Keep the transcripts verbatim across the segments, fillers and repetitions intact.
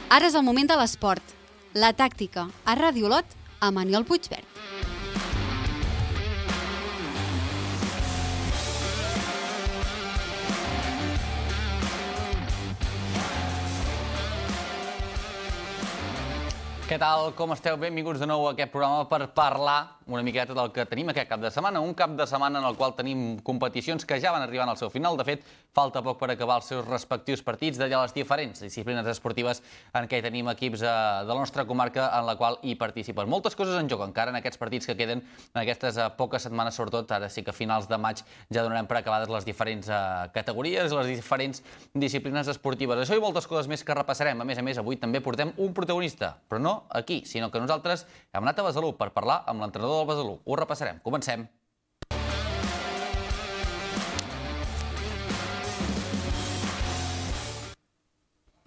Ara és el moment de l'esport. La tàctica a Ràdio Olot amb Aniol Puigverd. Què tal? Com esteu? Benvinguts de nou a aquest programa per parlar una miqueta del que tenim aquest cap de setmana. Un cap de setmana en el qual tenim competicions que ja van arribant al seu final. De fet, falta poc per acabar els seus respectius partits de les diferents disciplines esportives en què tenim equips de la nostra comarca en la qual hi participen. Moltes coses en joc encara en aquests partits que queden en aquestes poques setmanes, sobretot ara sí que a finals de maig ja donarem per acabades les diferents categories, les diferents disciplines esportives. Això i moltes coses més que repassarem. A més a més, avui també portem un protagonista, però no aquí, sinó que nosaltres hem anat a Besalú per parlar amb l'entrenador del Besalú. Ho repassarem. Comencem.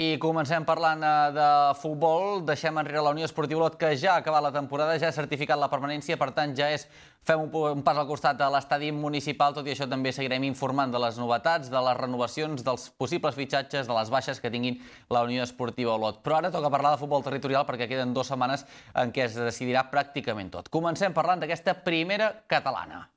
I comencem parlant de futbol. Deixem enrere la Unió Esportiva Olot, que ja ha acabat la temporada, ja ha certificat la permanència, per tant ja és fem un pas al costat de l'estadi municipal. Tot i això també seguirem informant de les novetats, de les renovacions, dels possibles fitxatges, de les baixes que tinguin la Unió Esportiva Olot. Però ara toca parlar de futbol territorial perquè queden dues setmanes en què es decidirà pràcticament tot. Comencem parlant d'aquesta primera catalana.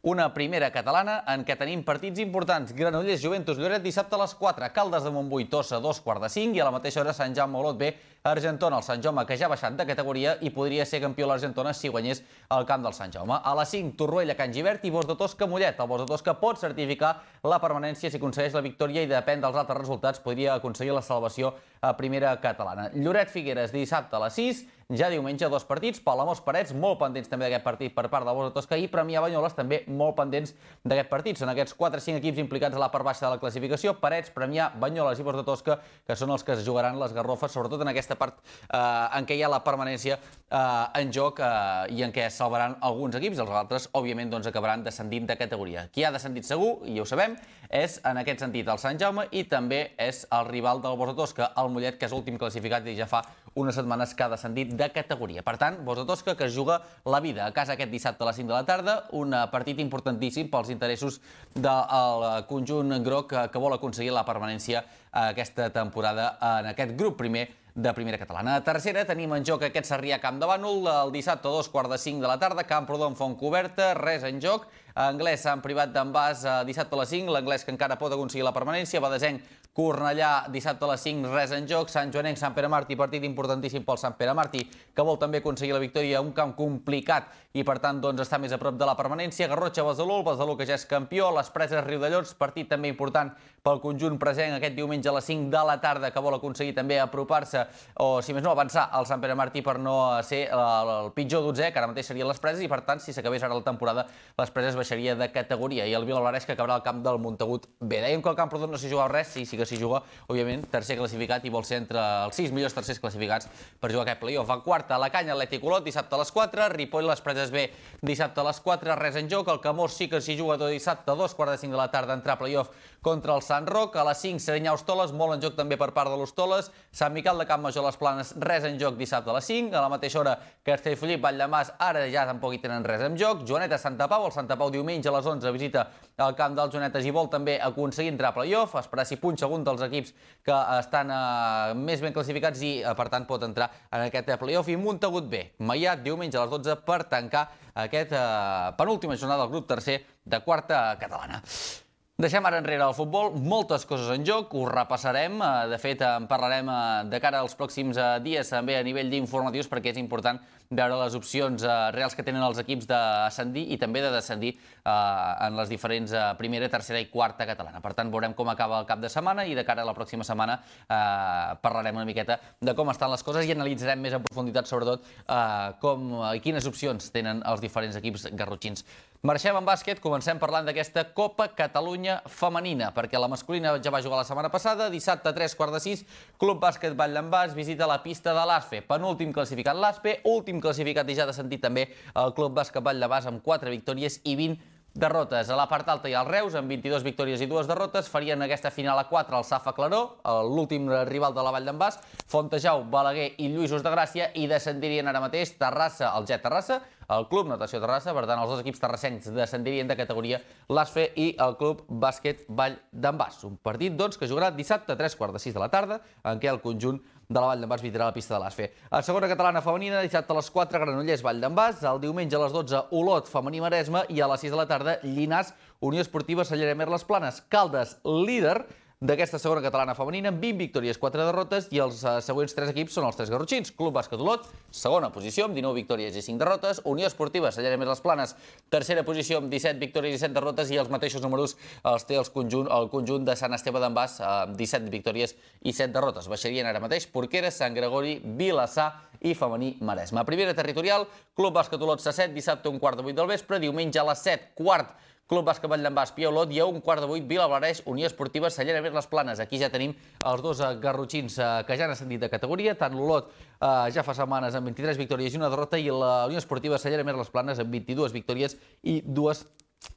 Una primera catalana en què tenim partits importants. Granollers, Juventus, Lloret, dissabte a les quatre. Caldes de Montbui, Tossa, dos quarts de cinc. I a la mateixa hora Sant Jaume, Olot B, Argentona. El Sant Jaume, que ja ha baixat de categoria i podria ser campió l'Argentona si guanyés el camp del Sant Jaume. A les cinc, Torroella, Can Givert i Bos de Tosca, Mollet. El Bos de Tosca pot certificar la permanència si aconsegueix la victòria i depèn dels altres resultats podria aconseguir la salvació a primera catalana. Lloret, Figueres, dissabte a les sis. Ja diumenge, dos partits. Palamós, Parets, molt pendents també d'aquest partit per part del Bos de Tosca, i Premià, Banyoles, també molt pendents d'aquest partit. Són aquests quatre o cinc equips implicats a la part baixa de la classificació: Parets, Premià, Banyoles i Bos de Tosca, que són els que es jugaran les garrofes, sobretot en aquesta part eh, en què hi ha la permanència eh, en joc eh, i en què es salvaran alguns equips. Els altres, òbviament, doncs, acabaran descendint de categoria. Qui ha descendit segur, i ja ho sabem, és en aquest sentit el Sant Jaume i també és el rival del Bos de Tosca, el Mollet, que és l'últim classificat i ja fa unes setmanes que ha descendit de categoria. Per tant, Bos de Tosca, que es juga la vida a casa aquest dissabte a les cinc de la tarda, un partit importantíssim pels interessos del conjunt groc que, que vol aconseguir la permanència aquesta temporada en aquest grup primer de primera catalana. A tercera tenim en joc aquest Sarrià Camp de Bànol, el dissabte a dos quarts de cinc de la tarda, Camprodon Fontcoberta, res en joc. Anglès Sant Privat d'en Bas, dissabte a les cinc, l'Anglès que encara pot aconseguir la permanència. Badesenc, Cornellà, dissabte a les cinc, res en joc. Sant Joanenc, Sant Pere Martí, partit importantíssim pel Sant Pere Martí, que vol també aconseguir la victòria, un camp complicat i per tant doncs, està més a prop de la permanència. Garrotxa, Besalú, el Besalú que ja és campió. Les Preses, Riudellots, partit també important pel conjunt present aquest diumenge a les cinc de la tarda, que vol aconseguir també apropar-se o, si més no, avançar al Sant Pere Martí per no ser el pitjor dotzè, que ara mateix serien les Preses, i per tant, si s'acabés ara la temporada, les Preses baixaria de categoria, i el Vilablareix que acabarà al camp del Montagut B. Dèiem que el Camprodon no s'hi jugava res, sí, sí que s'hi juga, òbviament, tercer classificat i vol ser entre els sis millors tercers classificats per jugar aquest play-off. En quarta, la Canya, Atlètic Olot, dissabte a les quatre, Ripoll, les Preses B, dissabte a les quatre, res en joc. El Camós sí que s'hi juga tot dissabte a dos quarts de cinc de la tarda, entrar a play-off contra el Sant Roc. A les cinc, Serinyà, Hostoles, molt en joc també per part de l'Hostoles. Sant Miquel de Campmajor, les Planes, res en joc dissabte a les cinc. A la mateixa hora, Castellfollit, Valldemars, ara ja tampoc hi tenen res en joc. Joaneta, Santa Pau, el Santa Pau diumenge a les onze visita el camp dels Joanetes i vol també aconseguir entrar a play-off, esperar si punxa algun dels equips que estan eh, més ben classificats i eh, per tant pot entrar en aquest play-off. I Montagut B, Maià, diumenge a les dotze per tancar aquest eh, penúltima jornada del grup tercer de quarta catalana. Deixem ara enrere el futbol, moltes coses en joc, ho repassarem, de fet en parlarem de cara als pròxims dies també a nivell d'informatius perquè és important veure les opcions reals que tenen els equips d'ascendir i també de descendir en les diferents primera, tercera i quarta catalana. Per tant, veurem com acaba el cap de setmana i de cara a la pròxima setmana parlarem una miqueta de com estan les coses i analitzarem més en profunditat sobretot com i quines opcions tenen els diferents equips garrotxins. Marxem en bàsquet, comencem parlant d'aquesta Copa Catalunya femenina, perquè la masculina ja va jugar la setmana passada, dissabte a tres quarts de sis, Club Bàsquet Vall d'en Bas visita la pista de l'Aspe, penúltim classificat l'Aspe, últim classificat i ja de sentit també el Club Bàsquet Vall d'en Bas amb quatre victòries i vint derrotes. A la part alta hi ha el Reus, amb vint-i-dues victòries i dues derrotes. Farien aquesta final a quatre el Safa Claró, l'últim rival de la Vall d'en Bas, Fontejau, Balaguer i Lluïsos de Gràcia, i descendirien ara mateix Terrassa, el Jet Terrassa, el Club Natació Terrassa. Per tant, els dos equips terrassencs descendirien de categoria, l'A S F E i el Club Bàsquet Vall d'en Bas. Un partit, doncs, que jugarà dissabte a tres quarts de sis de la tarda, en què el conjunt de la Vall d'en Bas visitarà la pista de l'A S F E. A segona catalana femenina, dissabte a les quatre, Granollers, Vall d'en Bas. El diumenge a les dotze, Olot, femení Maresme. I a les sis de la tarda, Llinars, Unió Esportiva Cellera Mer Les Planes. Caldes, líder d'aquesta segona catalana femenina, amb vint victòries, quatre derrotes, i els uh, següents tres equips són els tres garrotxins. Club Bàsquet Olot, segona posició, amb dinou victòries i cinc derrotes. Unió Esportiva Cellera Mer Les Planes, tercera posició, amb disset victòries i set derrotes, i els mateixos números els té els conjunt, el conjunt de Sant Esteve d'en Bas, amb disset victòries i set derrotes. Baixarien ara mateix Porqueres, Sant Gregori, Vilassar i femení Maresme. A primera territorial, Club Bàsquet Olot Sasset, dissabte a un quart de vuit del vespre, diumenge a les set, quart, Club Bàsquet Vall d'en Bas, Pia Olot, i a un quart de vuit, Vilablareix, Unió Esportiva Cellera Mer Les Planes. Aquí ja tenim els dos garrotxins que ja han ascendit de categoria. Tant l'Olot ja fa setmanes amb vint-i-tres victòries i una derrota, i la Unió Esportiva Cellera Mer Les Planes amb vint-i-dues victòries i dues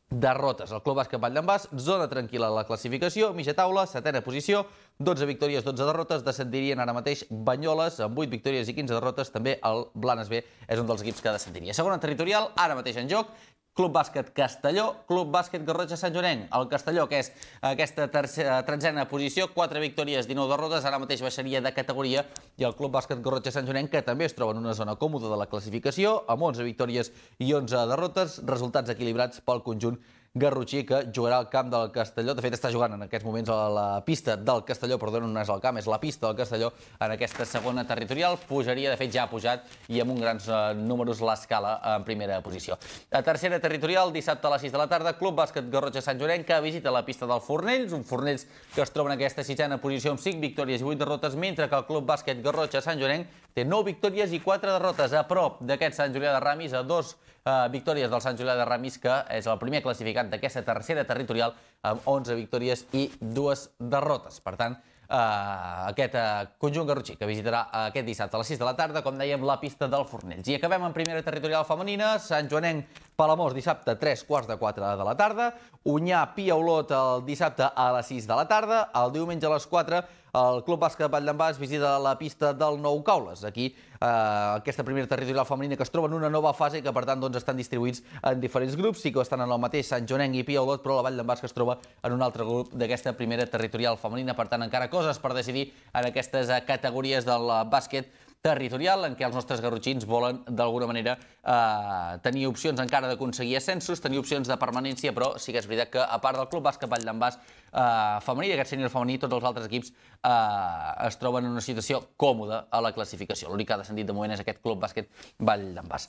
derrotes. El Club Bàsquet Vall d'en Bas, zona tranquil·la a la classificació, mitja taula, setena posició, dotze victòries, dotze derrotes. Descendirien ara mateix Banyoles amb vuit victòries i quinze derrotes. També el Blanes B és un dels equips que descendiria. Segona territorial, ara mateix en joc, Club Bàsquet Castelló, Club Bàsquet Garrotxa Sant Joanenc. El Castelló, que és aquesta tretzena posició, quatre victòries, dinou derrotes, ara mateix baixaria de categoria, i el Club Bàsquet Garrotxa Sant Joanenc, que també es troba en una zona còmoda de la classificació, amb onze victòries i onze derrotes, resultats equilibrats pel conjunt garrotxí, que jugarà al camp del Castelló. De fet, està jugant en aquests moments a la pista del Castelló, perdó, no és el camp, és la pista del Castelló, en aquesta segona territorial. Pujaria, de fet ja ha pujat, i amb uns grans eh, números l'escala en primera posició. A tercera territorial, dissabte a les sis de la tarda, Club Bàsquet Garrotxa Sant Joanenc, que visita la pista del Fornells, un Fornells que es troba en aquesta sisena posició amb cinc victòries i vuit derrotes, mentre que el Club Bàsquet Garrotxa Sant Joanenc té nou victòries i quatre derrotes, a prop d'aquest Sant Julià de Ramis, a dos Uh, victòries del Sant Julià de Ramis, que és el primer classificat d'aquesta tercera territorial, amb onze victòries i dues derrotes. Per tant, uh, aquest uh, conjunt garrotxí que visitarà uh, aquest dissabte a les sis de la tarda, com dèiem, la pista del Fornells. I acabem en primera territorial femenina, Sant Joanenc Palamós, dissabte a tres quarts de quatre de la tarda, Unyà Pia Olot el dissabte a les sis de la tarda, el diumenge a les quatre, el Club Bàsquet Vall d'en Bas visita la pista del Nou Caules. Aquí, eh, aquesta primera territorial femenina, que es troba en una nova fase i que, per tant, doncs, estan distribuïts en diferents grups. Sí que estan en el mateix Sant Joanenc i Pia Olot, però la Vall d'en Bas que es troba en un altre grup d'aquesta primera territorial femenina. Per tant, encara coses per decidir en aquestes categories del bàsquet territorial, en què els nostres garrotxins volen, d'alguna manera, eh, tenir opcions encara d'aconseguir ascensos, tenir opcions de permanència, però sí que és veritat que, a part del Club Bàsquet Vall d'en Bas eh, femení, d'aquest sènior femení, tots els altres equips eh, es troben en una situació còmoda a la classificació. L'únic que ha descendit de moment és aquest Club Bàsquet Vall d'en Bas.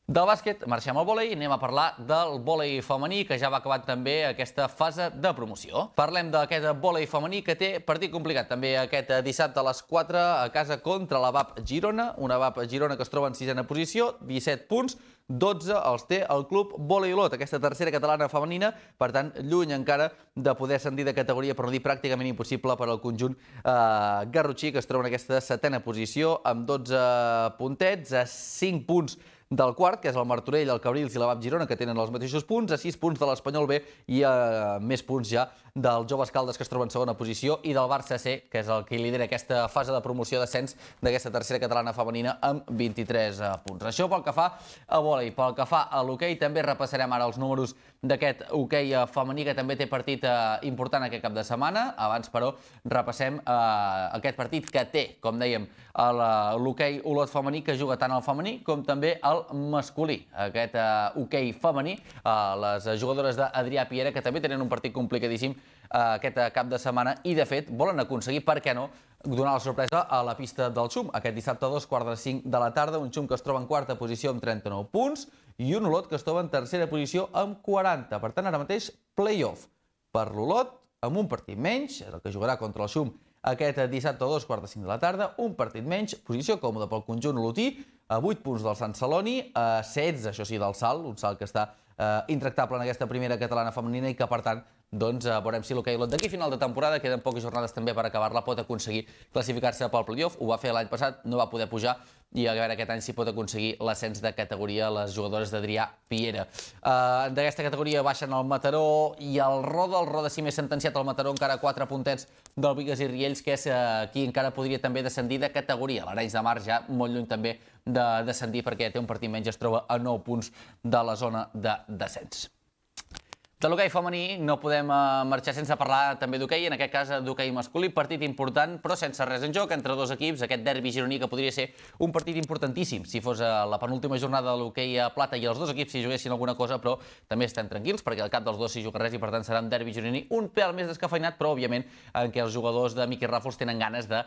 Del bàsquet marxem al vòlei i anem a parlar del vòlei femení, que ja va acabant també aquesta fase de promoció. Parlem d'aquest vòlei femení que té partit complicat també aquest dissabte a les quatre a casa contra la V A P Girona, una V A P Girona que es troba en sisena posició, disset punts, dotze els té el Club Vòlei Olot, aquesta tercera catalana femenina, per tant, lluny encara de poder ascendir de categoria, per no dir pràcticament impossible per al conjunt eh, garrotxí, que es troba en aquesta setena posició amb dotze puntets, a cinc punts del quart, que és el Martorell, el Cabrils i la V A P Girona, que tenen els mateixos punts, a sis punts de l'Espanyol B i a més punts ja del Joves Caldes, que es troba en segona posició, i del Barça C, que és el que lidera aquesta fase de promoció d'ascens d'aquesta tercera catalana femenina amb vint-i-tres punts. Això pel que fa a vòlei. Pel que fa a l'hoquei, també repassarem ara els números d'aquest hoquei femení, que també té partit important aquest cap de setmana. Abans, però, repassem aquest partit que té, com dèiem, l'hoquei Olot femení, que juga tant al femení com també al masculí. Aquest hoquei femení, les jugadores d'Adrià Piera, que també tenen un partit complicadíssim aquest cap de setmana, i de fet volen aconseguir, per què no, donar la sorpresa a la pista del Xum. Aquest dissabte a dos quarts de cinc de la tarda, un Xum que es troba en quarta posició amb trenta-nou punts i un Olot que es troba en tercera posició amb quaranta. Per tant, ara mateix, play-off per l'Olot, amb un partit menys, és el que jugarà contra el Xum aquest dissabte a dos quarts de cinc de la tarda, un partit menys, posició còmoda pel conjunt olotí, a vuit punts del Sant Celoni, a setze, això sí, del Salt, un Salt que està eh, intractable en aquesta primera catalana femenina i que, per tant, doncs veurem si l'Hockey Olot d'aquí final de temporada, queden poques jornades també per acabar-la, pot aconseguir classificar-se pel playoff. Ho va fer l'any passat, no va poder pujar, i a veure aquest any si pot aconseguir l'ascens de categoria les jugadores d'Adrià Piera. Uh, D'aquesta categoria baixen el Mataró i el Roda. El Roda, si més sentenciat, el Mataró encara quatre puntets del Bigues i Riells, que és uh, qui encara podria també descendir de categoria. L'Arenys de Mar ja molt lluny també de descendir perquè té un partit menys, es troba a nou punts de la zona de descens. De l'hoquei femení no podem marxar sense parlar també d'hoquei, en aquest cas d'hoquei masculí, partit important però sense res en joc entre dos equips, aquest derbi gironí que podria ser un partit importantíssim si fos la penúltima jornada de l'hoquei a plata i els dos equips si juguessin alguna cosa, però també estem tranquils perquè al cap dels dos s'hi juga res i per tant serà un derbi gironí un pèl més descafeinat, però òbviament en què els jugadors de Miqui Ràfols tenen ganes de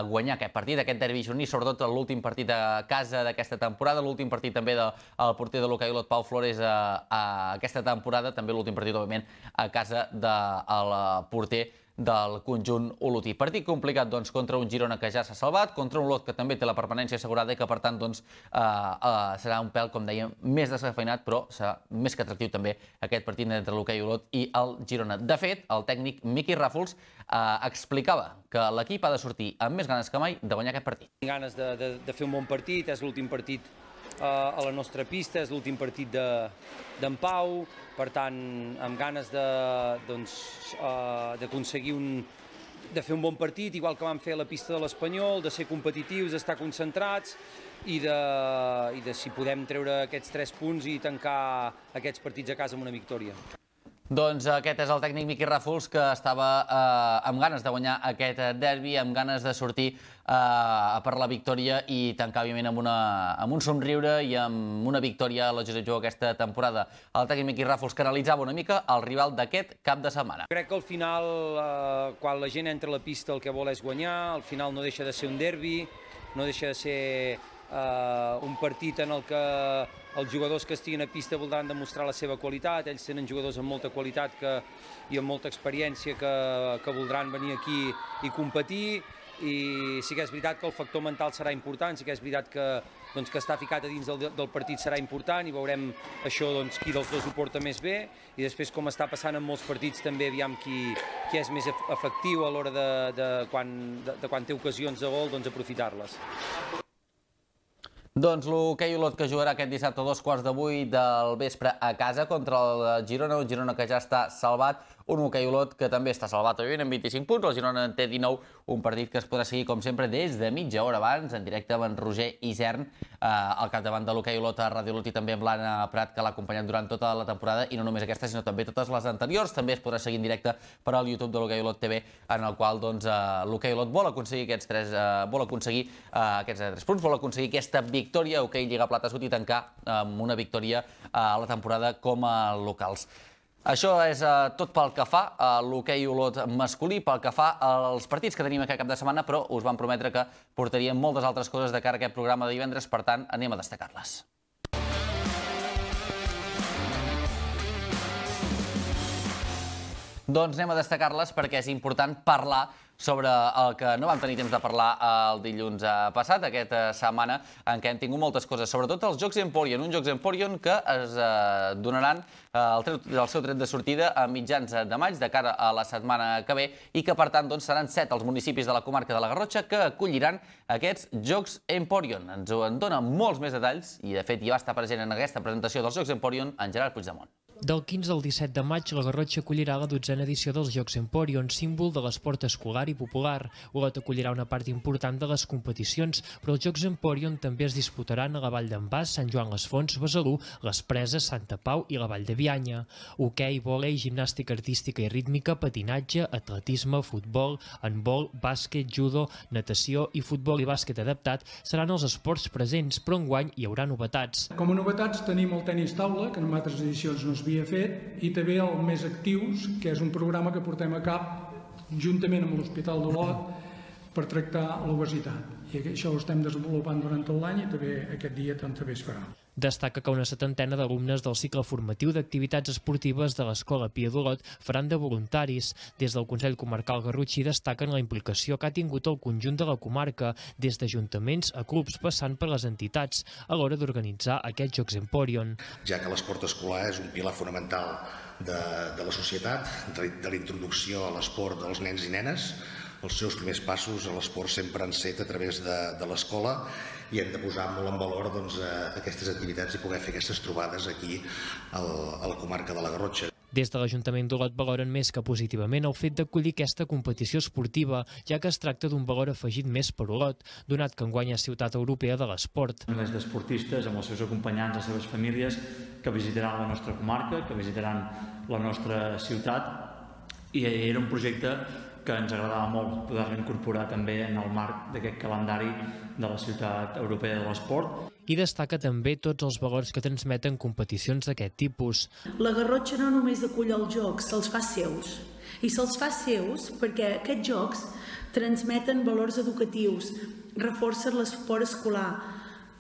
guanyar aquest partit, aquest derbi gironí, sobretot l'últim partit a casa d'aquesta temporada, l'últim partit també del porter de l'Hoquei Olot, Pau Flores, a aquesta temporada, també l'últim partit, òbviament, a casa del porter del conjunt olotí. Partit complicat, doncs, contra un Girona que ja s'ha salvat, contra un Olot que també té la permanència assegurada i que, per tant, doncs, eh, eh, serà un pèl, com dèiem, més descafeinat, però serà més que atractiu també aquest partit entre l'Hoquei Olot i el Girona. De fet, el tècnic Miqui Ràfols eh, explicava que l'equip ha de sortir amb més ganes que mai de guanyar aquest partit. Ganes de, de, de fer un bon partit, és l'últim partit a la nostra pista, és l'últim partit d'en Pau, per tant, amb ganes d'aconseguir un de fer un bon partit, igual que vam fer a la pista de l'Espanyol, de ser competitius, d'estar concentrats i de, i de si podem treure aquests tres punts i tancar aquests partits a casa amb una victòria. Doncs aquest és el tècnic Miqui Ràfols, que estava eh, amb ganes de guanyar aquest derbi, amb ganes de sortir eh, per la victòria i tancar, òbviament, amb, una, amb un somriure i amb una victòria a la Josep Jou aquesta temporada. El tècnic Miqui Ràfols que analitzava una mica el rival d'aquest cap de setmana. Crec que al final, eh, quan la gent entra a la pista, el que vol és guanyar, al final no deixa de ser un derbi, no deixa de ser Uh, un partit en el que els jugadors que estiguin a pista voldran demostrar la seva qualitat. Ells tenen jugadors amb molta qualitat que, i amb molta experiència que, que voldran venir aquí i competir, i sí que és veritat que el factor mental serà important, sí que és veritat que, doncs, que estar ficat a dins del, del partit serà important i veurem això, doncs, qui dels dos ho porta més bé, i després, com està passant en molts partits, també aviam qui, qui és més efectiu a l'hora de, de, quan, de, de quan té ocasions de gol, doncs aprofitar-les. Doncs l'Hoquei Olot que jugarà aquest dissabte a dos quarts de vuit del vespre a casa contra el Girona, un Girona que ja està salvat, un Hoquei Olot que també està salvat, òbviament, amb vint-i-cinc punts, el Girona en té dinou, un partit que es podrà seguir, com sempre, des de mitja hora abans, en directe amb en Roger Isern, eh, al capdavant de l'Hoquei Olot a Ràdio Olot, i també amb l'Anna Prat, que l'ha acompanyat durant tota la temporada, i no només aquesta, sinó també totes les anteriors. També es podrà seguir en directe per al YouTube de l'Hoquei Olot T V, en el qual doncs, eh, l'Hoquei Olot vol aconseguir aquests tres, eh, vol aconseguir eh, aquests tres punts, vol aconseguir aquesta victòria, Hoquei Lliga Plata Sud, i tancar amb una victòria a la temporada com a locals. Això és uh, tot pel que fa a l'Hoquei Olot masculí, pel que fa als partits que tenim aquest cap de setmana, però us vam prometre que portaríem moltes altres coses de cara a aquest programa de divendres, per tant, anem a destacar-les. Doncs anem a destacar-les perquè és important parlar sobre el que no vam tenir temps de parlar el dilluns passat, aquesta setmana en què hem tingut moltes coses, sobretot els Jocs Emporion, uns Jocs Emporion que es eh, donaran eh, el, tret, el seu tret de sortida a mitjans de maig, de cara a la setmana que ve, i que per tant doncs, seran set els municipis de la comarca de la Garrotxa que acolliran aquests Jocs Emporion. Ens en dona molts més detalls i de fet ja va estar present en aquesta presentació dels Jocs Emporion en Gerard Puigdemont. Del quinze al disset de maig, la Garrotxa acollirà la dotzena edició dels Jocs Emporion, símbol de l'esport escolar i popular. Olot acollirà una part important de les competicions, però els Jocs Emporion també es disputaran a la Vall d'en Bas, Sant Joan les Fonts, Besalú, les Preses, Santa Pau i la Vall de Bianya. Hoquei, vòlei, gimnàstica artística i rítmica, patinatge, atletisme, futbol, handbol, bàsquet, judo, natació i futbol i bàsquet adaptat seran els esports presents, però enguany hi haurà novetats. Com a novetats tenim el tenis taula, que en altres edicions no es havia fet, i també el Més Actius, que és un programa que portem a cap juntament amb l'Hospital d'Olot per tractar l'obesitat. I això ho estem desenvolupant durant tot l'any i també aquest dia també es farà. Destaca que una setantena d'alumnes del cicle formatiu d'activitats esportives de l'Escola Pia d'Olot faran de voluntaris. Des del Consell Comarcal Garrotxí destaquen la implicació que ha tingut el conjunt de la comarca, des d'ajuntaments a clubs passant per les entitats, a l'hora d'organitzar aquests Jocs Emporion. Ja que l'esport escolar és un pilar fonamental de, de la societat, de, de la introducció a l'esport dels nens i nenes. Els seus primers passos a l'esport sempre han set a través de, de l'escola i hem de posar molt en valor doncs, aquestes activitats i poder fer aquestes trobades aquí al, a la comarca de la Garrotxa. Des de l'Ajuntament d'Olot valoren més que positivament el fet d'acollir aquesta competició esportiva, ja que es tracta d'un valor afegit més per Olot, donat que enguany és ciutat europea de l'esport. Milers d'esportistes amb els seus acompanyants, les seves famílies, que visitaran la nostra comarca, que visitaran la nostra ciutat, i era un projecte que ens agradava molt poder-lo incorporar també en el marc d'aquest calendari de la ciutat europea de l'esport. I destaca també tots els valors que transmeten competicions d'aquest tipus. La Garrotxa no només acull els jocs, se'ls fa seus. I se'ls fa seus perquè aquests jocs transmeten valors educatius, reforcen l'esport escolar,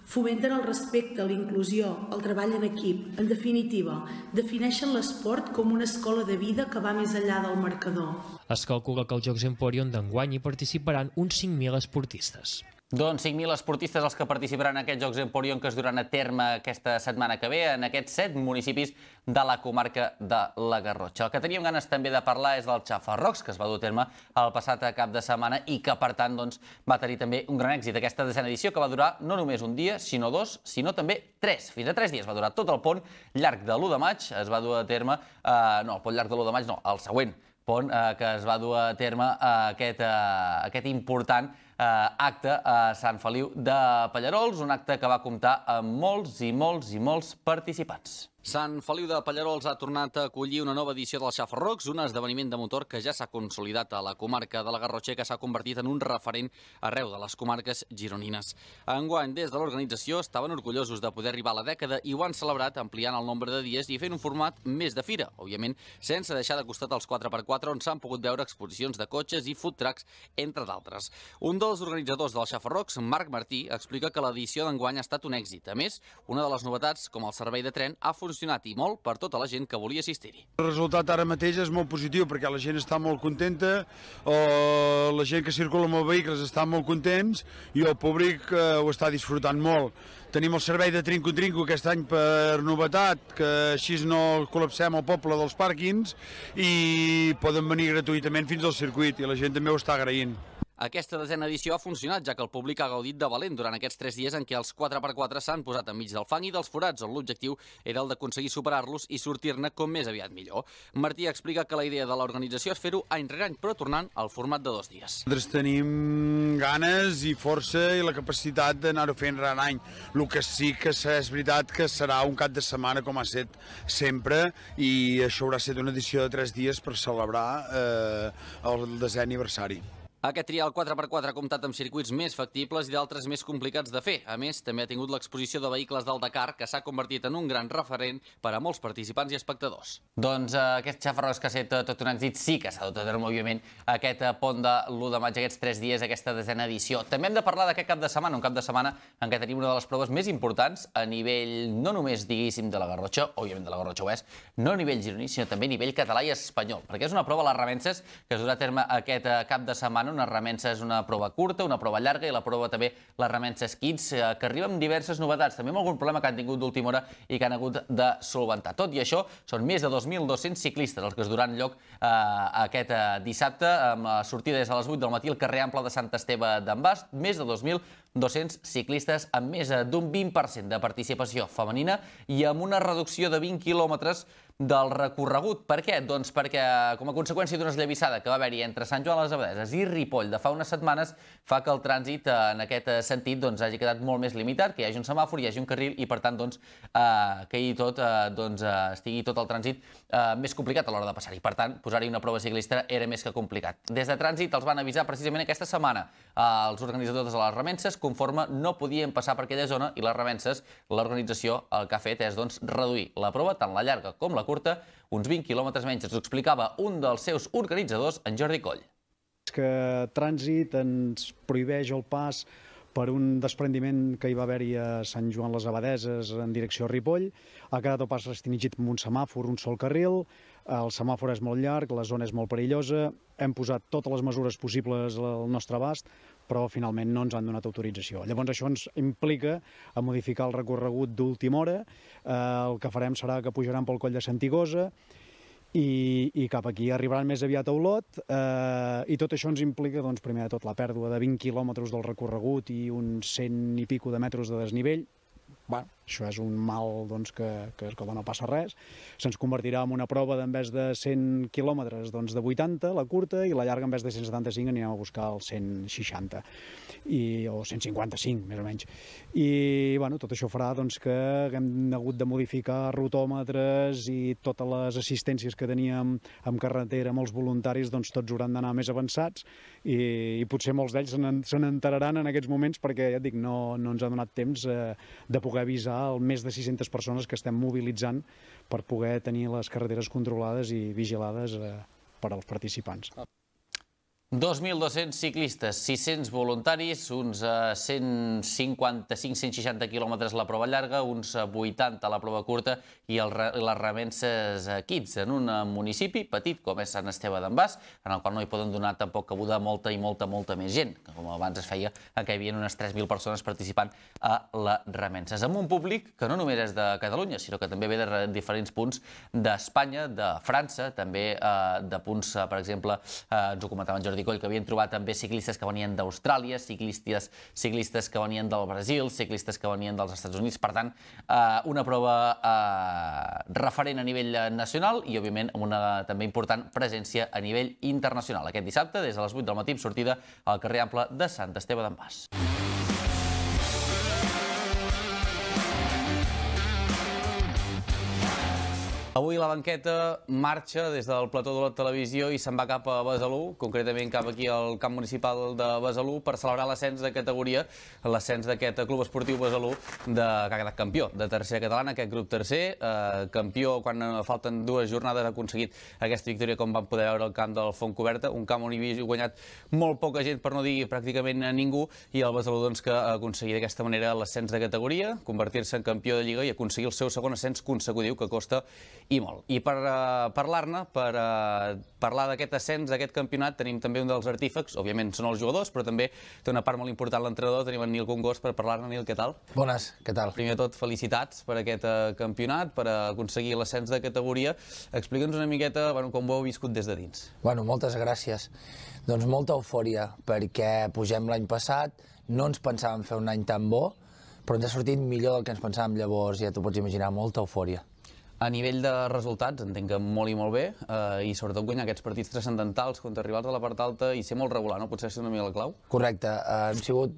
fomenten el respecte, la inclusió, el treball en equip. En definitiva, defineixen l'esport com una escola de vida que va més enllà del marcador. Es calcula que als Jocs Emporion d'enguany hi participaran uns cinc mil esportistes. Doncs cinc mil esportistes els que participaran en aquests Jocs Emporion que es duran a terme aquesta setmana que ve en aquests set municipis de la comarca de la Garrotxa. El que teníem ganes també de parlar és del Xafarrocs, que es va dur a terme el passat cap de setmana i que, per tant, doncs, va tenir també un gran èxit. Aquesta desena edició que va durar no només un dia, sinó dos, sinó també tres. Fins a tres dies va durar tot el pont llarg de l'u de maig. Es va dur a terme, eh, no, el pont llarg de l'u de maig no, el següent pont eh, que es va dur a terme eh, aquest, eh, aquest important eh, acte a Sant Feliu de Pallarols, un acte que va comptar amb molts i molts i molts participants. Sant Feliu de Pallarols ha tornat a acollir una nova edició del Xafarrocs, un esdeveniment de motor que ja s'ha consolidat a la comarca de la Garrotxa i que s'ha convertit en un referent arreu de les comarques gironines. Enguany, des de l'organització, estaven orgullosos de poder arribar a la dècada i ho han celebrat ampliant el nombre de dies i fent un format més de fira, òbviament sense deixar de costat els quatre per quatre on s'han pogut veure exposicions de cotxes i food trucks, entre d'altres. Un dels organitzadors del Xafarrocs, Marc Martí, explica que l'edició d'enguany ha estat un èxit. A més, una de les novetats, com el servei de tren, ha funcionat i molt per tota la gent que volia assistir-hi. El resultat ara mateix és molt positiu perquè la gent està molt contenta, la gent que circula amb els vehicles està molt contents i el públic ho està disfrutant molt. Tenim el servei de trinco-trinco aquest any per novetat, que així no col·lapsem el poble dels pàrquings i poden venir gratuïtament fins al circuit i la gent també ho està agraint. Aquesta desena edició ha funcionat, ja que el públic ha gaudit de valent durant aquests tres dies en què els quatre per quatre s'han posat enmig del fang i dels forats, on l'objectiu era el d'aconseguir superar-los i sortir-ne com més aviat millor. Martí explica que la idea de l'organització és fer-ho any rere any, però tornant al format de dos dies. Nosaltres tenim ganes i força i la capacitat d'anar-ho fent rere any. El que sí que és veritat que serà un cap de setmana com ha estat sempre i això haurà estat una edició de tres dies per celebrar eh, el desè aniversari. Aquest trial quatre per quatre ha comptat amb circuits més factibles i d'altres més complicats de fer. A més, també ha tingut l'exposició de vehicles del Dakar, que s'ha convertit en un gran referent per a molts participants i espectadors. Doncs eh, aquest Xafarrocs que ha estat tot un èxit sí que s'ha dut a terme, òbviament, aquest pont de l'u de maig, aquests tres dies, aquesta desena edició. També hem de parlar d'aquest cap de setmana, un cap de setmana en què tenim una de les proves més importants a nivell, no només, diguéssim, de la Garrotxa, òbviament de la Garrotxa ho és, no a nivell gironí, sinó també a nivell català i espanyol, perquè és una prova a les Remences que es durà a terme aquest cap de setmana. Una remensa és una prova curta, una prova llarga i la prova també les Remenses Kids, que arriba amb diverses novetats, també amb algun problema que han tingut d'última hora i que han hagut de solventar. Tot i això, són més de dos mil dos-cents ciclistes els que es duran lloc eh, aquest eh, dissabte, amb la sortida des de les vuit del matí al carrer Ample de Sant Esteve d'en Bast, més de dos mil dos-cents ciclistes amb més d'un vint per cent de participació femenina i amb una reducció de vint quilòmetres del recorregut. Per què? Doncs perquè, com a conseqüència d'una esllavissada que va haver-hi entre Sant Joan les Abadeses i Ripoll de fa unes setmanes, fa que el trànsit en aquest sentit doncs, hagi quedat molt més limitat, que hi hagi un semàfor, hi hagi un carril i, per tant, doncs, eh, que hi tot, eh, doncs, eh, estigui tot el trànsit eh, més complicat a l'hora de passar-hi. Per tant, posar-hi una prova ciclista era més que complicat. Des de trànsit els van avisar precisament aquesta setmana. Eh, els organitzadors de les Remenses, conforme no podien passar per aquella zona, i les Remenses, l'organització, el que ha fet és doncs, reduir la prova, tant la llarga com la curta, uns vint quilòmetres menys. Ens ho explicava un dels seus organitzadors, en Jordi Coll. Que trànsit ens prohibeix el pas per un desprendiment que hi va haver-hi a Sant Joan les Abadeses en direcció a Ripoll. Ha quedat el pas restringit amb un semàfor, un sol carril, el semàfor és molt llarg, la zona és molt perillosa, hem posat totes les mesures possibles al nostre abast, però finalment no ens han donat autorització. Llavors això ens implica a modificar el recorregut d'última hora. Eh, el que farem serà que pujaran pel coll de Santigosa i, i cap aquí arribaran més aviat a Olot, eh, i tot això ens implica, doncs, primer de tot, la pèrdua de vint quilòmetres del recorregut i uns cent i pico de metres de desnivell. Bueno, això és un mal, doncs, que, que, que no passa res. Se'ns convertirà en una prova d'en vez de cent quilòmetres, doncs, de vuitanta, la curta, i la llarga en vez de cent setanta-cinc anirem a buscar els cent seixanta, i, o cent cinquanta-cinc, més o menys. I bueno, tot això farà, doncs, que haguem hagut de modificar rotòmetres i totes les assistències que teníem en carretera amb els voluntaris, doncs tots hauran d'anar més avançats, i, i potser molts d'ells se n'enteraran en aquests moments, perquè, ja et dic, no, no ens ha donat temps eh, de poder avisar el més de sis-centes persones que estem mobilitzant per poder tenir les carreteres controlades i vigilades eh, per als participants. dos mil dos-cents ciclistes, sis-cents voluntaris, uns cent cinquanta-cinc cent seixanta quilòmetres la prova llarga, uns vuitanta la prova curta i el, les remenses Kids en un municipi petit com és Sant Esteve d'en Bas, en el qual no hi poden donar tampoc cabuda molta i molta, molta més gent, que com abans es feia, en què hi havia unes tres mil persones participant a les remenses. Amb un públic que no només és de Catalunya, sinó que també ve de diferents punts d'Espanya, de França, també eh, de punts, eh, per exemple, eh, ens ho comentava en Jordi Coll, que havien trobat també ciclistes que venien d'Austràlia, ciclistes, ciclistes que venien del Brasil, ciclistes que venien dels Estats Units. Per tant, eh, una prova eh, referent a nivell nacional i, òbviament, amb una també important presència a nivell internacional. Aquest dissabte, des de les vuit del matí, sortida al carrer Ample de Sant Esteve d'en Bas. Avui la banqueta marxa des del plató de la televisió i se'n va cap a Besalú, concretament cap aquí al camp municipal de Besalú, per celebrar l'ascens de categoria, l'ascens d'aquest club esportiu Besalú, de, que ha quedat campió de tercera catalana, aquest grup tercer, eh, campió quan falten dues jornades, ha aconseguit aquesta victòria, com vam poder veure al camp del Fontcoberta, un camp on hi havia guanyat molt poca gent, per no dir pràcticament a ningú, i el Besalú, doncs, que ha aconseguit d'aquesta manera l'ascens de categoria, convertir-se en campió de Lliga i aconseguir el seu segon ascens consecutiu, que costa i molt. I per uh, parlar-ne, per uh, parlar d'aquest ascens, d'aquest campionat, tenim també un dels artífecs, òbviament són els jugadors, però també té una part molt important l'entrenador, tenim en Nil Congost per parlar-ne. Nil, què tal? Bones, què tal? Primer de tot, felicitats per aquest uh, campionat, per uh, aconseguir l'ascens de categoria. Explica'ns una miqueta, bueno, com ho heu viscut des de dins. Bueno, moltes gràcies. Doncs molta eufòria, perquè pugem l'any passat, no ens pensàvem fer un any tan bo, però ens ha sortit millor del que ens pensàvem, llavors ja t'ho pots imaginar, molta eufòria. A nivell de resultats, entenc que molt i molt bé, eh, i sobretot guanyar aquests partits transcendentals contra rivals de la part alta i ser molt regular, no? Potser ser una mica la clau? Correcte, eh, hem sigut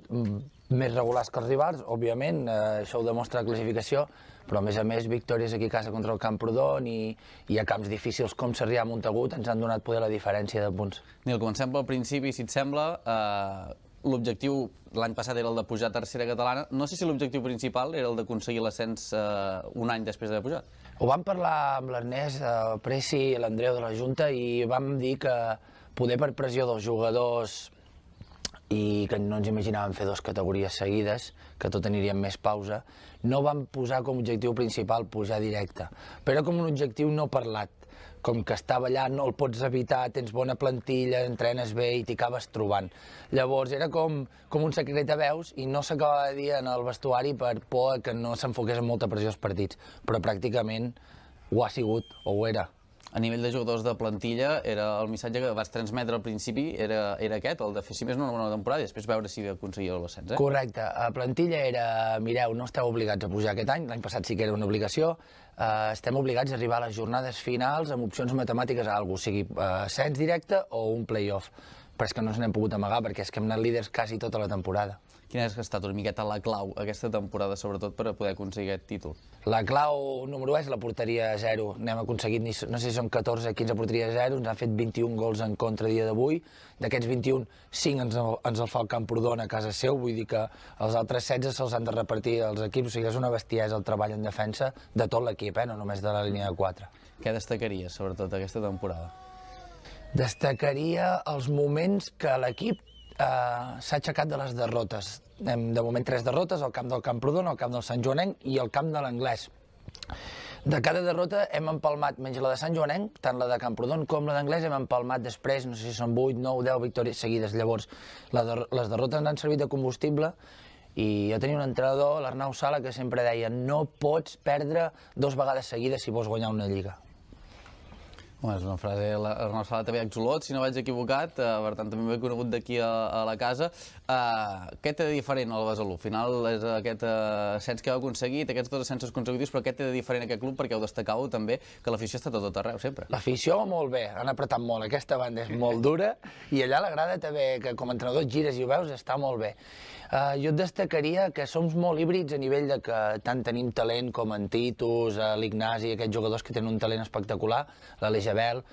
més regulars que els rivals, òbviament, eh, això ho demostra la classificació, però a més a més victòries aquí a casa contra el Camprodon i, i a camps difícils com Sarrià i Montagut ens han donat poder la diferència de punts. Nil, comencem pel principi, si et sembla. Eh, L'objectiu l'any passat era el de pujar a tercera catalana. No sé si l'objectiu principal era el d'aconseguir l'ascens eh, un any després d'haver pujat. Ho vam parlar amb l'Ernest, el Preci i l'Andreu de la Junta i vam dir que poder per pressió dels jugadors i que no ens imaginàvem fer dues categories seguides, que tot aniria amb més pausa, no vam posar com a objectiu principal pujar directe, però com un objectiu no parlat. Com que estava allà, no el pots evitar, tens bona plantilla, entrenes bé i t'hi acabes trobant. Llavors era com, com un secret a veus i no s'acabava de dir en el vestuari per por que no s'enfoqués amb molta pressió als partits, però pràcticament ho ha sigut, o ho era. A nivell de jugadors de plantilla, era el missatge que vas transmetre al principi era, era aquest, el de fer si més no una bona temporada i després veure si aconseguia l'ascens, eh? Correcte. A plantilla era, mireu, no esteu obligats a pujar aquest any, l'any passat sí que era una obligació, uh, estem obligats a arribar a les jornades finals amb opcions matemàtiques a alguna cosa, sigui uh, ascens directe o un play-off. Però és que no ens n'hem pogut amagar perquè és que hem anat líders quasi tota la temporada. Quina ha estat una miqueta la clau aquesta temporada, sobretot per a poder aconseguir aquest títol? La clau número u és la porteria a zero. N'hem aconseguit, no sé si són catorze o quinze porteries a zero, ens han fet vint-i-un gols en contra a dia d'avui. D'aquests vint-i-un, cinc ens, ens el fa el Camprodon a casa seu, vull dir que els altres setze se'ls han de repartir als equips, o sigui, és una bestiesa el treball en defensa de tot l'equip, eh? No només de la línia de quatre. Què destacaries, sobretot, aquesta temporada? Destacaria els moments que l'equip Uh, s'ha aixecat de les derrotes. Hem, de moment, tres derrotes, al camp del Camprodon, al camp del Sant Joanenc i al camp de l'Anglès. De cada derrota hem empalmat, menys la de Sant Joanenc, tant la de Camprodon com la d'Anglès, hem empalmat després, no sé si són vuit, nou, deu victòries seguides. Llavors, la de, les derrotes ens han servit de combustible i jo tenia un entrenador, l'Arnau Sala, que sempre deia no pots perdre dos vegades seguides si vols guanyar una lliga. Home, és una frase, l'Arnau Sala també exolot, si no vaig equivocat, per tant també m'he conegut d'aquí a la casa. Què té de diferent el Besalú? Al final és aquest ascens que heu aconseguit, aquests dos ascensos consecutius, però què té de diferent aquest club? Perquè heu destacau també que l'afició està tot arreu, sempre. L'afició molt bé, han apretat molt, aquesta banda és molt dura i allà la grada també, que com a entrenador et gires i ho veus, està molt bé. Uh, jo et destacaria que som molt híbrids a nivell de que tant tenim talent com en Titus, uh, l'Ignasi, aquests jugadors que tenen un talent espectacular, l'Alejabel,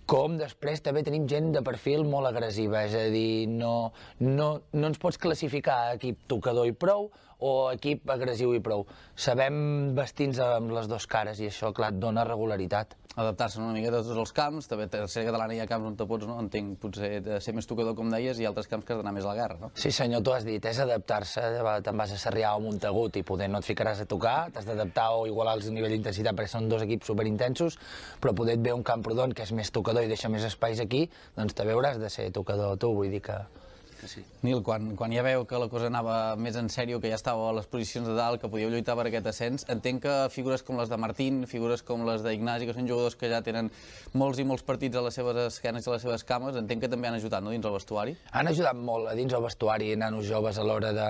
com després també tenim gent de perfil molt agressiva, és a dir, no, no, no ens pots classificar a equip tocador i prou o equip agressiu i prou. Sabem vestir-nos amb les dues cares i això, clar, et dona regularitat. Adaptar-se una miqueta a tots els camps, també a tercera catalana hi ha camps on te pots, no? Entenc, potser de ser més tocador, com deies, i altres camps que has d'anar més a la guerra, no? Sí senyor, tu has dit, és adaptar-se, te'n vas a Sarrià o Montagut i poder no et ficaràs a tocar, t'has d'adaptar o igualar el nivell d'intensitat perquè són dos equips superintensos, però poder et ve un Camprodon que és més tocador i deixa més espais aquí, doncs també hauràs de ser tocador tu, vull dir que... Sí. Nil, quan, quan ja veu que la cosa anava més en sèrio, que ja estàveu a les posicions de dalt, que podíeu lluitar per aquest ascens, entenc que figures com les de Martín, figures com les d'Ignasi, que són jugadors que ja tenen molts i molts partits a les seves esquenes i a les seves cames, entenc que també han ajudat, no?, dins el vestuari? Han ajudat molt a dins el vestuari, nanos joves a l'hora de,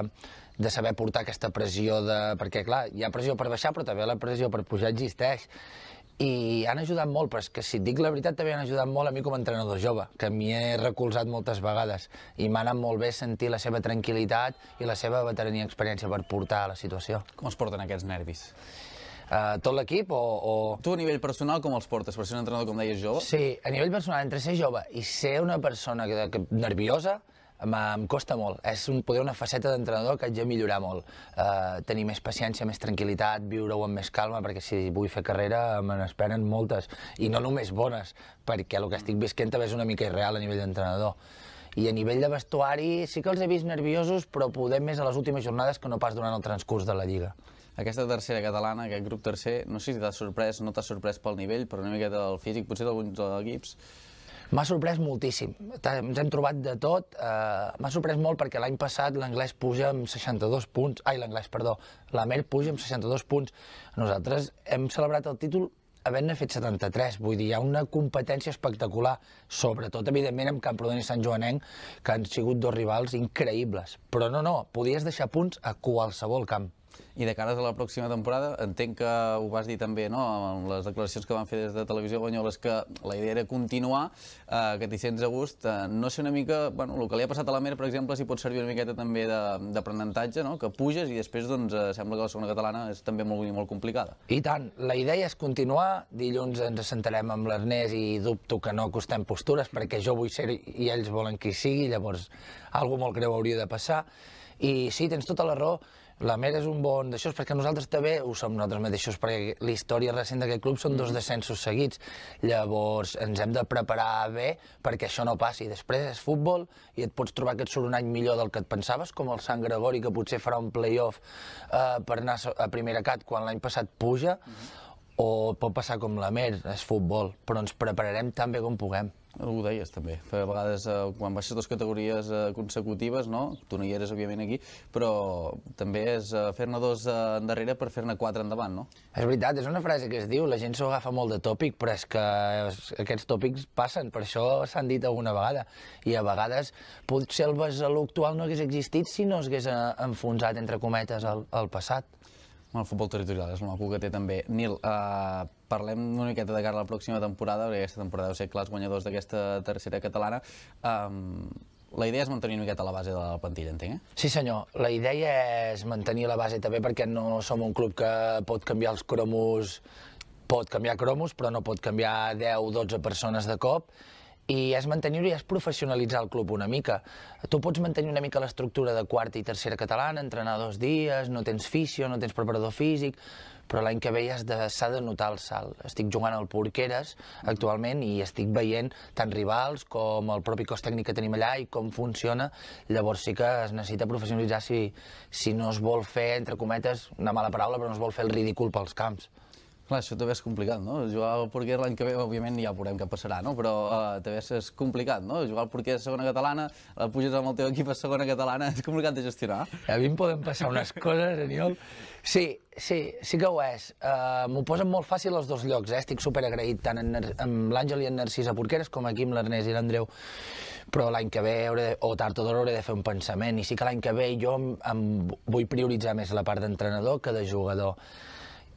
de saber portar aquesta pressió, de... perquè clar, hi ha pressió per baixar, però també la pressió per pujar existeix. I han ajudat molt, però és que si et dic la veritat també han ajudat molt a mi com a entrenador jove, que m'hi he recolzat moltes vegades i m'ha anat molt bé sentir la seva tranquil·litat i la seva veterania i experiència per portar a la situació. Com es porten aquests nervis? Uh, tot l'equip o, o... Tu a nivell personal com els portes? Per ser un entrenador, com deies, jove? Sí, a nivell personal, entre ser jove i ser una persona que, que, nerviosa, em costa molt. És un, poder una faceta d'entrenador que haig de millorar molt. Uh, tenir més paciència, més tranquil·litat, viure-ho amb més calma, perquè si vull fer carrera me n'esperen moltes, i no només bones, perquè el que estic visquent també és una mica irreal a nivell d'entrenador. I a nivell de vestuari sí que els he vist nerviosos, però poder més a les últimes jornades que no pas durant el transcurs de la Lliga. Aquesta tercera catalana, aquest grup tercer, no sé si t'ha sorprès, no t'ha sorprès pel nivell, però una miqueta del físic, potser d'alguns equips. M'ha sorprès moltíssim, ens hem trobat de tot, uh, m'ha sorprès molt perquè l'any passat l'anglès puja amb seixanta-dos punts, ai l'anglès, perdó, l'Amer puja amb seixanta-dos punts, nosaltres hem celebrat el títol havent-ne fet setanta-tres, vull dir, hi ha una competència espectacular, sobretot, evidentment, amb Camprodon i Sant Joanenc, que han sigut dos rivals increïbles, però no, no, podies deixar punts a qualsevol camp. I de cares a la pròxima temporada, entenc que ho vas dir també, no?, amb les declaracions que van fer des de Televisió Banyoles, que la idea era continuar, eh, que t'hi sents a gust. Eh, no sé una mica, bueno, el que li ha passat a l'Amer, per exemple, si pot servir una miqueta també d'aprenentatge, no?, que puges i després, doncs, eh, sembla que la segona catalana és també molt, molt complicada. I tant, la idea és continuar, dilluns ens assentarem amb l'Ernest i dubto que no acostem postures, perquè jo vull ser i ells volen que hi sigui, llavors, alguna molt greu hauria de passar. I sí, tens tota la raó, l'Amer és un bon d'això, perquè nosaltres també ho som nosaltres mateixos, perquè la història recent d'aquest club són dos descensos seguits. Llavors ens hem de preparar bé perquè això no passi. Després és futbol i et pots trobar que et surt un any millor del que et pensaves, com el Sant Gregori, que potser farà un play-off eh, per anar a primera cat quan l'any passat puja, o pot passar com l'Amer, és futbol, però ens prepararem tan bé com puguem. Ho deies també, a vegades quan baixes dues categories consecutives, no? Tu no hi eres òbviament aquí, però també és fer-ne dos endarrere per fer-ne quatre endavant, no? És veritat, és una frase que es diu, la gent s'ho agafa molt de tòpic, però és que aquests tòpics passen, per això s'han dit alguna vegada, i a vegades potser el Besalú actual no hagués existit si no s'hagués enfonsat, entre cometes, al passat. El futbol territorial és el maco que té també. Nil, eh, parlem una miqueta de cara a la pròxima temporada, perquè aquesta temporada deu ser clars guanyadors d'aquesta tercera catalana. Um, la idea és mantenir una miqueta la base de la plantilla, entenc, eh? Sí senyor, la idea és mantenir la base també perquè no som un club que pot canviar els cromos, pot canviar cromos, però no pot canviar deu o dotze persones de cop, i és mantenir-ho i és professionalitzar el club una mica. Tu pots mantenir una mica l'estructura de quarta i tercera catalana, entrenar dos dies, no tens fisio, no tens preparador físic, però l'any que ve ja s'ha de notar el salt. Estic jugant al Porqueres actualment i estic veient tant rivals com el propi cos tècnic que tenim allà i com funciona, llavors sí que es necessita professionalitzar si, si no es vol fer, entre cometes, una mala paraula, però no es vol fer el ridícul pels camps. Clar, això també és complicat, no? Jugar al porquer l'any que ve, òbviament ja veurem què passarà, no? Però uh, també és complicat, no? Jugar al porquer a segona catalana, uh, puges amb el teu equip a segona catalana, és complicat de gestionar. A mi em poden passar unes coses, Aniol. Sí, sí, sí que ho és. Uh, M'ho posen molt fàcil els dos llocs, eh? Estic superagraït tant en, amb l'Àngel i en Narcís a Porqueres com aquí amb l'Ernest i l'Andreu. Però l'any que ve, hauré, o tard o d'hora, hauré de fer un pensament. I sí que l'any que ve jo em, em vull prioritzar més la part d'entrenador que de jugador.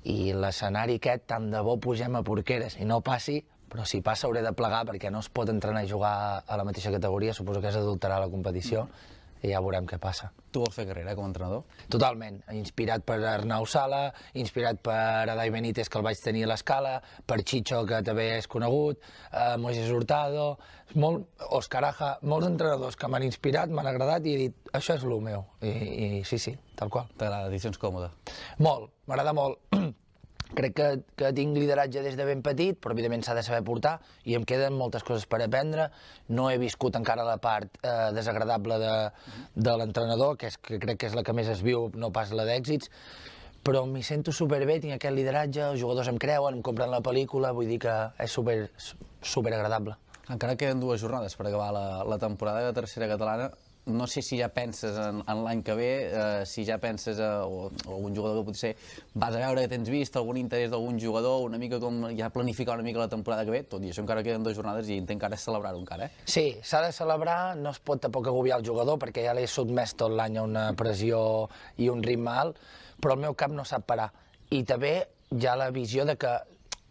I l'escenari aquest, tant de bo pugem a Porqueres i no passi, però si passa hauré de plegar perquè no es pot entrenar i jugar a la mateixa categoria, suposo que és adulterar la competició i ja veurem què passa. Tu vols fer carrera com a entrenador? Totalment, inspirat per Arnau Sala, inspirat per Adai Benítez, que el vaig tenir a l'Escala, per Chicho, que també és conegut, eh, Moisés Hurtado, molt, Òscar Aja, molts entrenadors que m'han inspirat, m'han agradat i he dit, això és el meu. I, i sí, sí, tal qual. T'agrada, edicions còmode? Molt, m'agrada molt. Crec que, que tinc lideratge des de ben petit, però evidentment s'ha de saber portar i em queden moltes coses per aprendre. No he viscut encara la part eh, desagradable de, de l'entrenador, que, és, que crec que és la que més es viu, no pas la d'èxits, però m'hi sento superbé, tinc aquest lideratge, els jugadors em creuen, em compren la pel·lícula, vull dir que és super, super agradable. Encara queden dues jornades per acabar la, la temporada de tercera catalana. No sé si ja penses en, en l'any que ve, eh, si ja penses a, o, o algun jugador que potser vas a veure que tens vist, algun interès d'algun jugador, una mica com ja planificar una mica la temporada que ve, tot i això encara queden dues jornades i entenc que ara és celebrar-ho encara, eh? Sí, s'ha de celebrar, no es pot tampoc agobiar el jugador perquè ja l'he sotmès tot l'any a una pressió i un ritme alt, però el meu cap no sap parar. I també hi ha la visió de que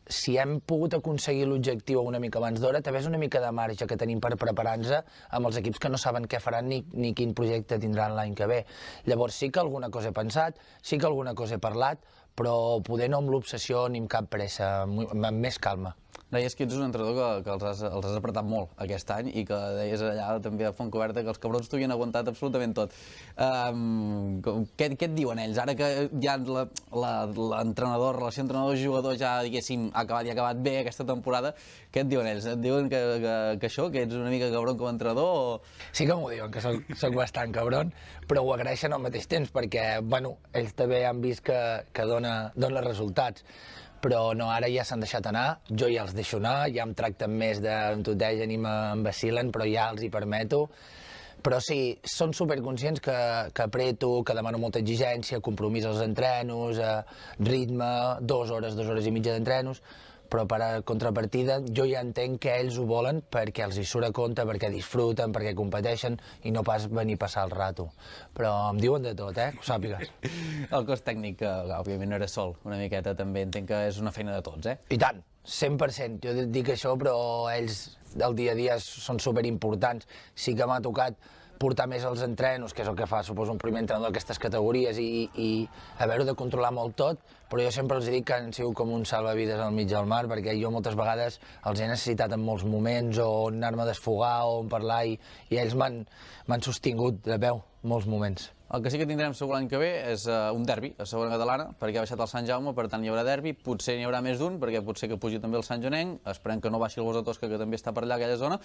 si hem pogut aconseguir l'objectiu una mica abans d'hora, també és una mica de marge que tenim per preparar-nos amb els equips que no saben què faran ni, ni quin projecte tindran l'any que ve. Llavors sí que alguna cosa he pensat, sí que alguna cosa he parlat, però poder no amb l'obsessió ni amb cap pressa, amb més calma. Deies que ets un entrenador que, que els, has, els has apretat molt aquest any i que deies allà també a Fontcoberta que els cabrons t'ho havien aguantat absolutament tot. Um, què, què et diuen ells? Ara que ja l'entrenador, la relació entrenador-jugador ja, diguéssim, ha acabat i ha acabat bé aquesta temporada, què et diuen ells? Et diuen que, que, que això, que ets una mica cabron com a entrenador? O... Sí que m'ho diuen, que soc, soc bastant cabron, però ho agraeixen al mateix temps perquè, bueno, ells també han vist que, que dona, dona resultats. Però no, ara ja s'han deixat anar, jo ja els deixo anar, ja em tracten més de em tutegen i m'envacilen, però ja els hi permeto. Però sí, són superconscients que, que apreto, que demano molta exigència, compromís als entrenos, eh, ritme, dues hores, dues hores i mitja d'entrenos, però per a contrapartida jo ja entenc que ells ho volen perquè els hi surt a compte, perquè disfruten, perquè competeixen i no pas venir a passar el rato. Però em diuen de tot, eh? Que ho sàpigues. El cos tècnic, que òbviament no era sol, una miqueta també entenc que és una feina de tots, eh? I tant, cent per cent. Jo dic això, però ells del dia a dia són superimportants. Sí que m'ha tocat portar més els entrenos, que és el que fa, suposo, un primer entrenador d'aquestes categories i, i haver-ho de controlar molt tot, però jo sempre els dic que han sigut com un salvavides al mig del mar, perquè jo moltes vegades els he necessitat en molts moments, o anar-me a desfogar, o on parlar, i, i ells m'han sostingut de peu molts moments. El que sí que tindrem segur l'any que ve és uh, un derbi a segona catalana, perquè ha baixat el Sant Jaume, per tant hi haurà derbi, potser n'hi haurà més d'un, perquè potser que pugi també el Sant Jonenc, esperem que no baixi el Gos de Tosca, que també està per allà, aquella zona.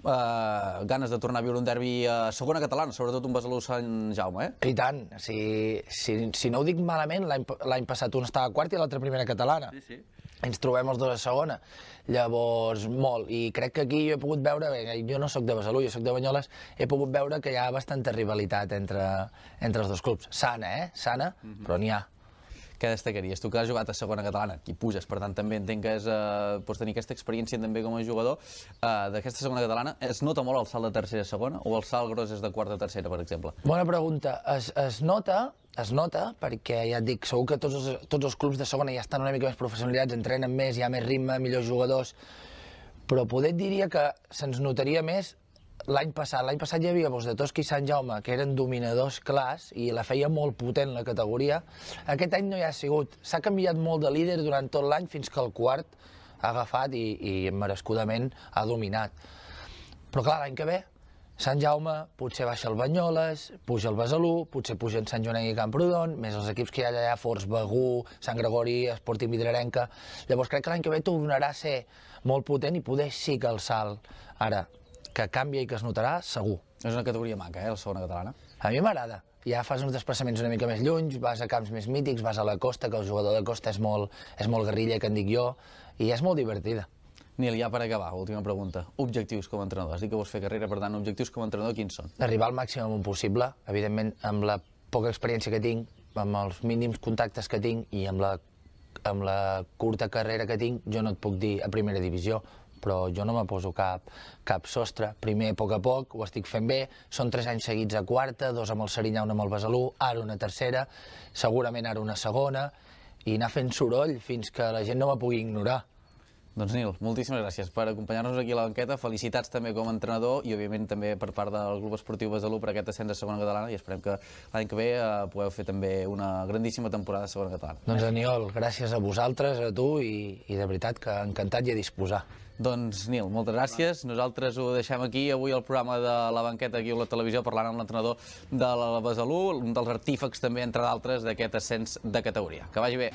Uh, ganes de tornar a viure un derbi a segona catalana, sobretot un Besalú Sant Jaume, eh? I tant, si, si, si no ho dic malament, l'any passat un estava a quart i l'altre primera catalana. Sí, sí. Ens trobem els dos a segona, llavors molt, i crec que aquí jo he pogut veure, bé, jo no sóc de Besalú, jo sóc de Banyoles, he pogut veure que hi ha bastanta rivalitat entre, entre els dos clubs. Sana, eh? Sana, mm-hmm. Però n'hi ha. Què destacaries? Tu que has jugat a segona catalana, aquí puges, per tant també entenc que és, eh, pots tenir aquesta experiència també com a jugador eh, d'aquesta segona catalana. Es nota molt el salt de tercera a segona o el salt gros és de quarta a tercera, per exemple? Bona pregunta. Es, es nota, es nota perquè ja et dic, segur que tots els, tots els clubs de segona ja estan una mica més professionalitzats, entrenen més, hi ha més ritme, millors jugadors, però poder et diria que se'ns notaria més l'any passat. L'any passat hi havia Gos de Tosca i Sant Jaume, que eren dominadors clars i la feia molt potent la categoria. Aquest any no hi ha sigut. S'ha canviat molt de líder durant tot l'any fins que el quart ha agafat i, i merescudament ha dominat. Però clar, l'any que ve, Sant Jaume, potser baixa el Banyoles, puja el Besalú, potser puja en Sant Jonenc i Camprodon, més els equips que hi ha allà, Forts, Begú, Sant Gregori, Esporting Vidrarenca. Llavors crec que l'any que ve tornarà a ser molt potent i poder sí que el salt ara que canvia i que es notarà, segur. És una categoria maca, eh, la segona catalana. A mi m'agrada. Ja fas uns desplaçaments una mica més lluny, vas a camps més mítics, vas a la costa, que el jugador de costa és molt, és molt guerrilla, que en dic jo, i és molt divertida. Nil, ja per acabar, última pregunta. Objectius com a entrenador. Has dit que vols fer carrera, per tant, objectius com a entrenador, quins són? Arribar al màxim amunt possible, evidentment, amb la poca experiència que tinc, amb els mínims contactes que tinc i amb la, amb la curta carrera que tinc, jo no et puc dir a primera divisió, però jo no me poso cap, cap sostre. Primer, a poc a poc, ho estic fent bé, són tres anys seguits a quarta, dos amb el Serinyà, un amb el Besalú, ara una tercera, segurament ara una segona, i anar fent soroll fins que la gent no me pugui ignorar. Doncs Nil, moltíssimes gràcies per acompanyar-nos aquí a la banqueta, felicitats també com a entrenador i òbviament també per part del Club Esportiu Besalú per aquest ascens a segona catalana i esperem que l'any que ve eh, pugueu fer també una grandíssima temporada a segona catalana. Doncs Aniol, gràcies a vosaltres, a tu i, i de veritat que encantat i a disposar. Doncs Nil, moltes gràcies. Nosaltres ho deixem aquí. Avui el programa de la banqueta aquí a la televisió parlant amb l'entrenador de la Besalú, un dels artífecs també, entre d'altres, d'aquest ascens de categoria. Que vagi bé.